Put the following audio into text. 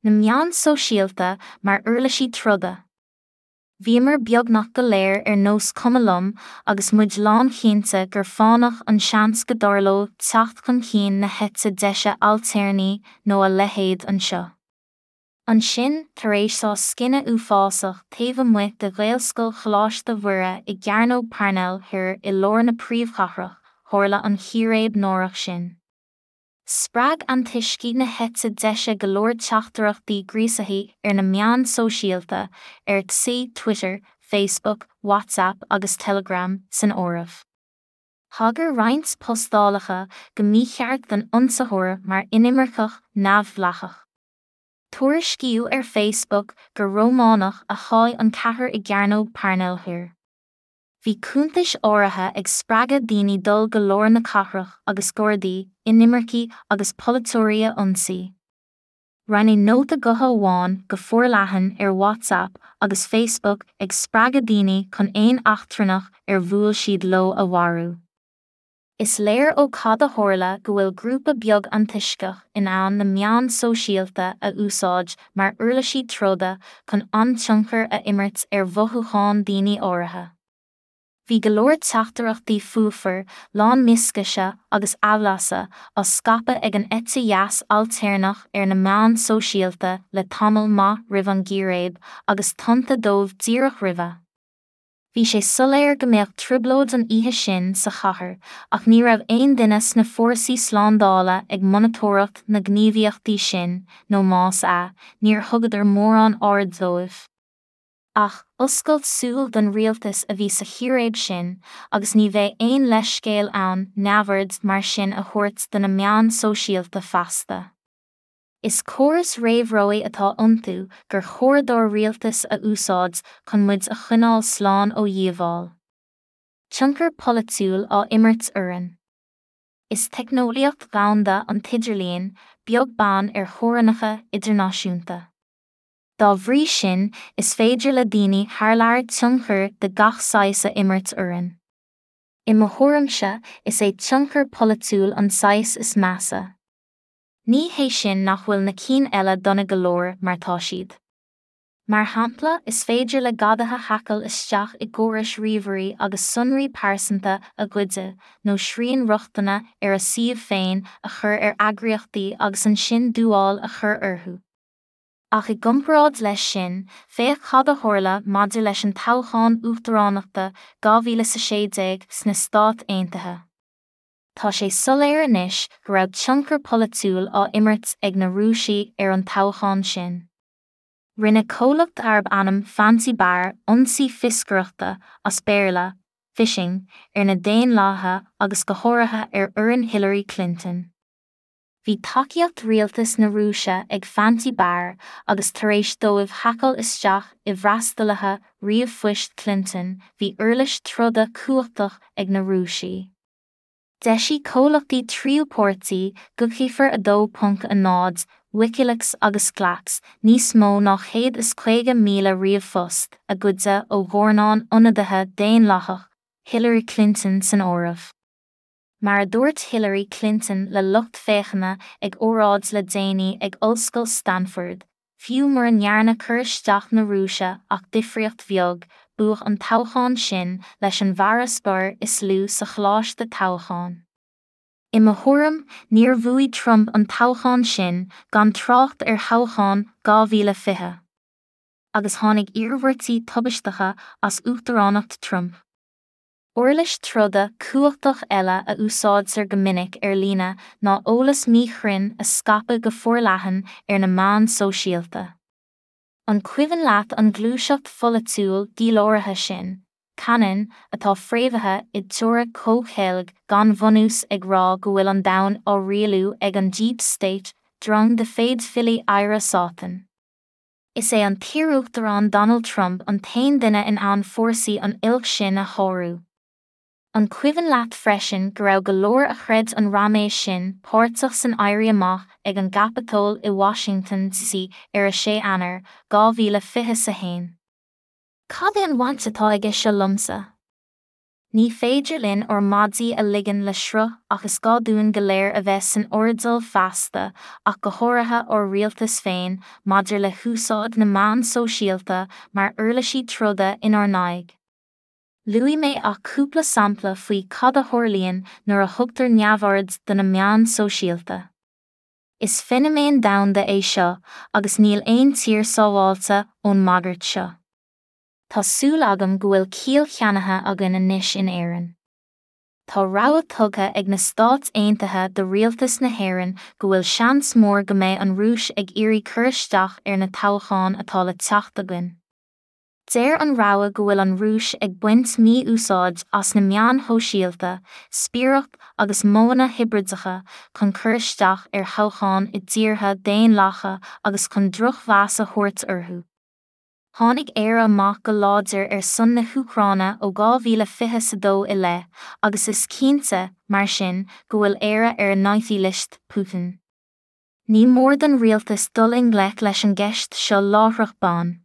Na meáin sóisialta mar uirlisí troda. Bhíomar beagnach go léir ar nós cuma liom agus muid lánchinnte gur fánach an seans go dtarlódh teacht chun cinn na heite deise ailtéarnaí nó a leithéid anseo. Ansin, tar éis sá scine uafásach taobh amuigh de Ghaelscoil Choláiste Mhuire i gCearnóg Parnell Thoir i lár na príomhchathrach, tharla an chíréib náireach sin. Spreag antoiscigh na heite deise go leor teachtaireachtaí gríosaithe ar na meáin sóisialta, ar TSI, Twitter, Facebook, WhatsApp agus Telegram san áireamh. Thagair roinnt postálacha go mícheart don ionsaitheoir mar inimirceach neamhdhleathach. Tuairiscíodh ar Facebook gur Rómánach a sháigh an ceathrar i gCearnóg Parnell Thoir. Bhí cuntais áirithe ag spreagadh daoine dul go lár na cathrach agus Gardaí, inimircigh agus polaiteoirí a ionsaí. Roinneadh nóta gutha amháin go forleathan ar WhatsApp agus Facebook ag spreagadh daoine chun aon eachtrannach ar bhuail siad leo a mharú. Is léir ó cad a tharla go bhfuil grúpa beag antoisceach in ann na meáin sóisialta a úsáid mar uirlisí troda chun an-tionchar a imirt ar mhothúcháin daoine áirithe. Bhí go leor teachtaireachtaí fuafar, lán mioscaise agus aimhleasa á scaipeadh ag an eite dheas ailtéarnach ar na meáin sóisialta le tamall maith roimh an gcíréib agus tonnta dóibh díreach roimhe. Bhí sé soiléir go mbeadh trioblóid an oíche sin sa chathair ach ní raibh aon duine sna fórsaí slándála ag monatóireacht na ngníomhaíochtaí sin nó más ea, níor thugadar mórán aird dóibh. Ach, oscailt súl don rialtas a bhí sa chíréib sin agus ní bheidh aon leithscéal ann neamhaird mar sin a thabhairt do na meáin sóisialta feasta. Is córas réamhrabhaidh atá iontu gur chóir dár rialtas a úsáid chun muid a choinneáil slán ó dhíobháil. Tionchar polaitiúil á imirt orainn. Is teicneolaíocht dhomhanda an t-idirlíon, beag beann ar theorainneacha idirnáisiúnta. Dá bhrí sin, is féidir le daoine thar lear tionchar de gach saghas a imirt orainn. I mo thuairimse, is é tionchar polaitiúil an saghas is measa. Ní hé sin nach bhfuil na cinn eile dona go leor, mar tá siad. Mar shampla, is féidir le gadaithe haiceáil isteach i gcórais ríomhairí agus sonraí pearsanta a ghoideadh, nó srian rochtana ar a suíomh féin a chur ar eagraíochtaí agus ansin dúmhál a chur orthu. Ach i gcomparáid leis sin, féach cad a tharla maidir leis an toghchán uachtaránachta 2016 sna Stáit Aontaithe. Tá sé soiléir anois go raibh tionchar polaitiúil á imirt ag na Rúisigh ar an toghchán sin. Rinne comhlacht arb ainm Fancy Bear ionsaí fioscaireachta, as Béarla, phishing, ar na Daonlathaithe agus go háirithe ar fhoireann Hillary Clinton. Bhí tacaíocht rialtas na Rúise ag Fancy Bear agus tar éis dóibh haiceáil isteach i bhfreastalaithe ríomhphoist Clinton bhí uirlis troda cumhachtach ag na Rúisigh. D'eisigh comhlachtaí tríú páirtí, Guccifer 2.0, Wikileaks agus Glaks, níos mó ná 150,000 ríomhphost a goideadh ó dhornán ionadaithe Daonlathach, Hillary Clinton san áireamh. Mar a dúirt Hillary Clinton le lucht féachana ag óráid le déanaí ag Ollscoil Stanford, Fiú mura ndearna cur isteach na Rúise ach difríocht bheag, buadh an toghchán sin leis an bhfarasbarr is lú sa choláiste toghcháin. I mo thuairim, níor bhuaigh Trump an toghchán sin, gan trácht ar thoghchán 2020. Agus tháinig iarmhairtí tubaisteacha as uachtaránacht Trump. Uirlis troda cumhachtach eile a úsáidtear go minic ar líne ná eolas míchruinn a scaipeadh go forleathan ar na meáin sóisialta. An cuimhin leat an ghluaiseacht pholaitiúil dhíláraithe sin, QAnon, atá fréamhaithe i dteoiric chomhcheilg gan bhunús ag rá go bhfuil an domhan á rialú ag an Deep State, drong de phéidifiligh adhradh Sátan? Is é an t-iaruachtarán Donald Trump an t-aon duine in ann fórsaí an oilc sin a shárú. An cuimhin leat freisin go raibh go leor a chreid an raiméis sin páirteach san éirí amach ag an gCaipeatól i Washington DC ar 6 Eanáir, 2021? Cad é an bhaint atá aige seo liomsa? Ní féidir linn ár maidí a ligean le sruth ach is gá dúinn go léir a bheith san airdeall feasta, ach go háirithe ár rialtas féin, maidir le húsáid na meán sóisialta mar uirlisí troda inár n-aghaidh. Luaigh mé ach cúpla sampla faoi cad a tharlaíonn nuair a thugtar neamhaird do na meáin sóisialta. Is feiniméan domhanda é seo agus níl aon tír sábháilte ón mbagairt seo. Tá súil agam go bhfuil ciall cheannaithe againn anois in Éirinn. Tá rabhadh tugtha ag na Stáit Aontaithe do rialtas na hÉireann go bhfuil seans mór go mbeidh an Rúis ag iarraidh cur isteach ar na toghcháin atá le teacht againn. Deir an rabhadh go bhfuil an Rúis ag baint mí-úsáid as na meáin shóisialta, spiaireacht agus modhanna hibrideacha chun cur isteach ar thoghcháin i dtíortha daonlathacha agus chun drochmheas a thabhairt orthu. Tháinig Éire amach go láidir ar son na hÚcráine ó 2022 i leith, agus is cinnte, mar sin, go bhfuil Éire ar naughty list Putin. Ní mór don rialtas dul i ngleic leis an gceist seo láithreach bonn.